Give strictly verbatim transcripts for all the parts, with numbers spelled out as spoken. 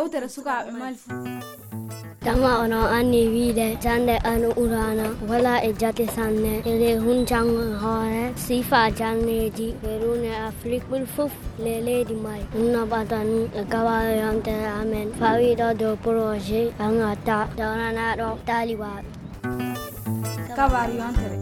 Yewtere sukaaɓe Mali fuu. Dama onon anndi wiide jannde Al Qur'aana wala e jate sanne, eɗe huncango hoore sifa janneeji e ruune Afrik ɓuri fof le leydi Mali. Ɗum no ɓata nun e gawaare yontere amen fawiiɗo dow projet Angata dawranaaɗo taalibaaɓe. Kabaaru yontere.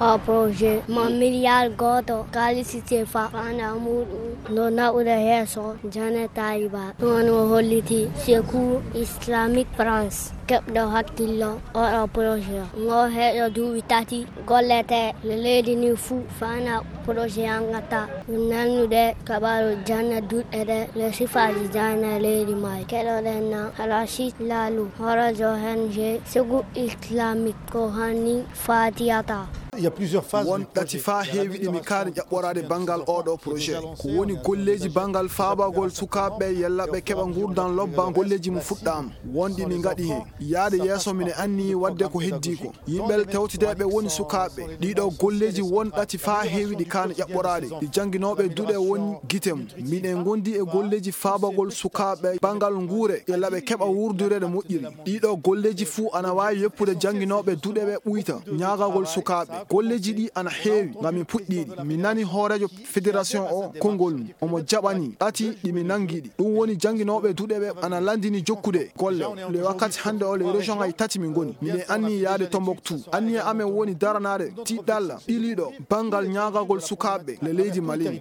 O projet mo miliyar gooto kaalisi sefa fana muɗum no naɓude heeso jane tayiba. Ɗum woni o holliti secours islamique France keɓɗo hakkillo oɗo projet o ngo heeɗo duuɓi tati gollete le leydi ni fuu fana projet angata ɗum nannude kabaru janna duɗɗe ɗe le sifaji janna leydi may keɗoɗen na rachid lalu horajo henge segu islamique ko hanni fatiyata. Il y a plusieurs phases. Won du ɗati projet. Faa heewi ɗi mi kaani ƴaɓɓoraade banngal oo ɗoo projet. Ko woni golleeji banngal faabagol sukaaɓe yella ɓe keɓa nguurdan lobba golleeji mum fuɗɗaama. Won ɗi mi ngaɗi heen. Yaade yeeso mine anniyi waɗde ko heddii ko. Yimɓe tewteteeɓe woni sukaaɓe. Ɗiɗo golleeji won ɗati faa heewi ɗi kaani ƴaɓɓoraade. Ɗi jannginooɓe duɗe woni gite mum. Miɗen ngondi e golleeji faabagol sukaaɓe banngal nguure yella ɓe keɓa wuurdude no moƴƴiri. Ɗiɗo golleeji fuu ana waawi yoppude jannginooɓe duɗe ɓe ɓuyta ñaagagol sukaaɓe. Golleeji ɗi ana heewi ngam mi puɗɗiiɗi. Mi nani hooreejo fédération o konngol mum. Omo jaɓani ɗati ɗi mi nanngi ɗi. Ɗum woni jannginooɓe duɗe ɓe ana lanndini jokkude golle. Le wakkati hannde o le région ay tati mi ngoni. Miɗen anni yaade Tombouctou. Anniya amen woni daranaade tiɗɗalla ɓiliiɗo banngal ñaagagol sukaaɓe le leydi Mali.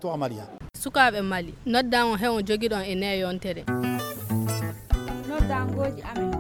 Sukaaɓe Mali, noddan on he on jogiɗon e nde yontere. Noddangooji amen.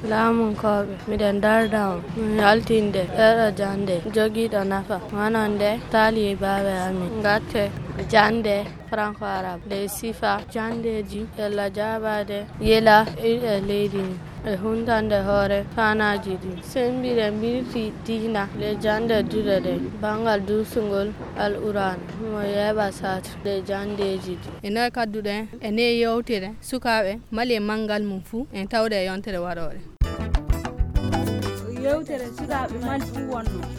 Laamunkooɓe, miɗen darda on, min yaltinde ɗeeɗo jannde jogiiɗo nafa, wonande taalibaaɓe amin. Ngatte jannde franco arabe, nde sifa janndeeji, yella jaabaade yela e leydi ndi. E huntande hoore faanaaji ɗi. Semmbiɗen mbirti diina le jannde duɗe ɗen, banngal duusungol Al Qur'aana, mo yeeɓa saatu le janndeeji ɗi. E noye kadduɗen e nde yewtere sukaaɓe Mali e manngal mum fuu, en tawde e yontere waroore. Yewtere sukaaɓe Mali fuu wonno.